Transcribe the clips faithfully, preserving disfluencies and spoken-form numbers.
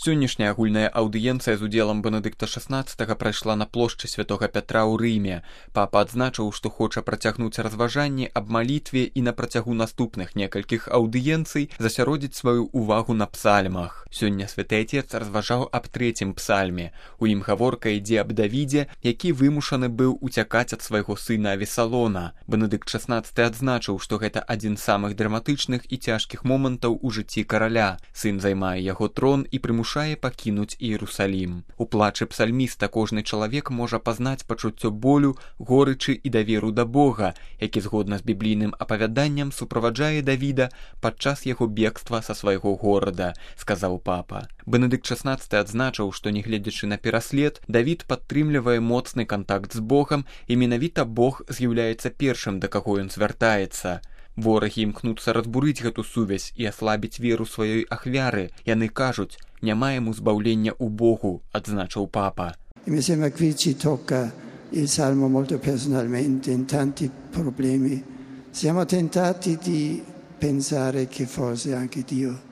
Сённяшняя агульная аўдыенцыя з удзелам Бенедыкта шаснаццатага прайшла на плошчы святога Пятра ў Рыме. Папа адзначыў, што хоча працягнуць разважанні аб малітве і на працягу наступных некалькіх аўдыенцый засяродзіць сваю ўвагу на псальмах. Сёння святы Отец разважаў аб трэцім псальме. У ім гаворка ідзе аб Давідзе, які вымушаны быў уцякаць ад свайго сына Авесалона. Бенедыкт шаснаццаты адзначыў, што гэта адзін з самых драматычных і цяжкіх момантаў у жыцці караля. Сын займае яго трон і прымушае пакінуць Іерусалім. У плачы псальміста кожны чалавек можа пазнаць пачуццё болю, горычы і даверу да Бога, які згодна з біблійным апавяданнем суправаджае Давіда падчас яго бегства са свайго горада, сказаў папа. Бенедыкт шаснаццаты адзначыў, што нягледзячы на пераслед, Давід падтрымлівае моцны кантакт з Богам і менавіта Бог з'яўляецца першым, да каго ён звяртаецца. Ворагі імкнуцца разбурыць гэту сувязь і аслабіць веру сваёй ахвяры. Яны кажуць: «Няма яму збаўлення ў Богу», адзначыў папа. Mi sembra qui ci tocca il Salmo molto personalmente in tanti problemi. Siamo tentati di pensare che forse anche Dio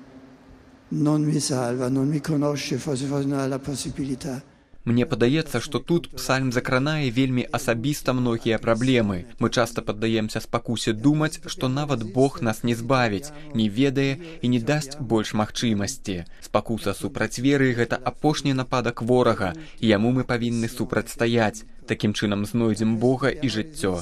non mi salva, non mi conosce, forse forse non ha la possibilità. Мне падаецца, што тут псальм закранае вельмі асабіста многія праблемы. Мы часта паддаемся спакусе думаць, што нават Бог нас не збавіць, не ведае і не дасць больш магчымасці. Спакуса супраць веры – гэта апошні нападак ворага, і яму мы павінны супрацьстаяць. Такім чынам знойдзем Бога і жыццё.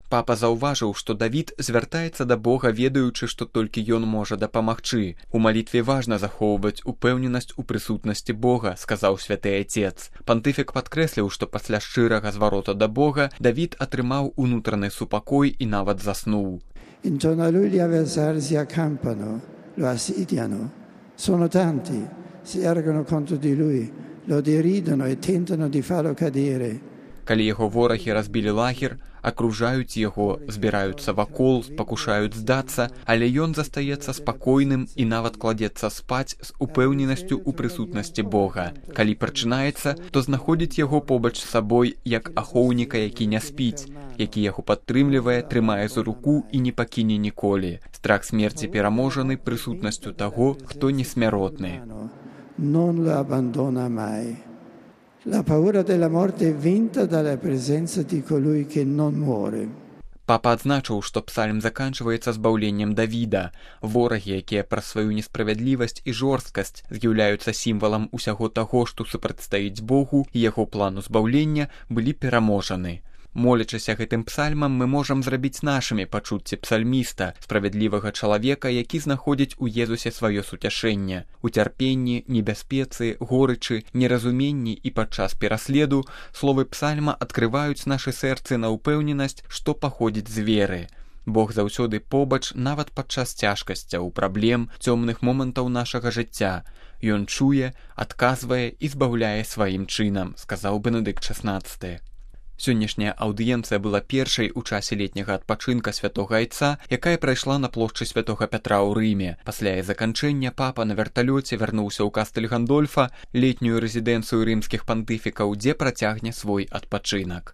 Папа заўважыў, што Давід звяртаецца да Бога, ведаючы, што толькі ён можа дапамагчы. У малітве важна захоўваць упэўненасць у прысутнасці Бога, сказаў святы Отец. Пантыфік падкрэсліў, што пасля шчырага зварота да Бога Давід атрымаў унутраны супакой і нават заснуў. Intorno a lui gli avversari si accampano, lo assediano. Sono tanti, si ergono contro di lui, lo deridono e tentano di farlo cadere. Калі яго ворагі разбілі лагер, акружаюць яго, збіраюцца вакол, пакушаюць здацца, але ён застаецца спакойным і нават кладзецца спаць з упэўненасцю ў прысутнасці Бога. Калі прачынаецца, то знаходзіць яго побач з сабой, як ахоўніка, які не спіць, які яго падтрымлівае, трымае за руку і не пакіне ніколі. Страх смерці пераможаны прысутнасцю таго, хто несмяротны. Non lo abbandona mai. La paura della morte è vinta dalla presenza di colui che non muore. Папа адзначыў, што псальм заканчваецца збаўленнем Давіда. Ворагі, якія праз сваю несправядлівасць і жорсткасць з'яўляюцца сімвалам усяго таго, што супрацьстаіць Богу і яго плану збаўлення, былі пераможаны. Молячыся гэтым псальмам, мы можам зрабіць нашымі пачуцці псальміста, справядлівага чалавека, які знаходзіць у Езусе сваё суцяшэнне. У цярпенні, небяспецы, горычы, неразуменні і падчас пераследу словы псальма адкрываюць нашы сэрцы на ўпэўненасць, што паходзіць з веры. Бог заўсёды побач, нават падчас цяжкасцяў, праблем, цёмных момантаў нашага жыцця. Ён чуе, адказвае і збаўляе сваім чынам, сказаў Бенедыкт шаснаццаты. Сённяшняя аўдыенцыя была першай у часе летняга адпачынка святога Айца, якая прайшла на плошчы святога Пятра ў Рыме. Пасля яе заканчэння папа на верталёце вярнуўся ў Кастэль Гандольфа, летнюю рэзідэнцыю рымскіх пантыфікаў, дзе працягне свой адпачынак.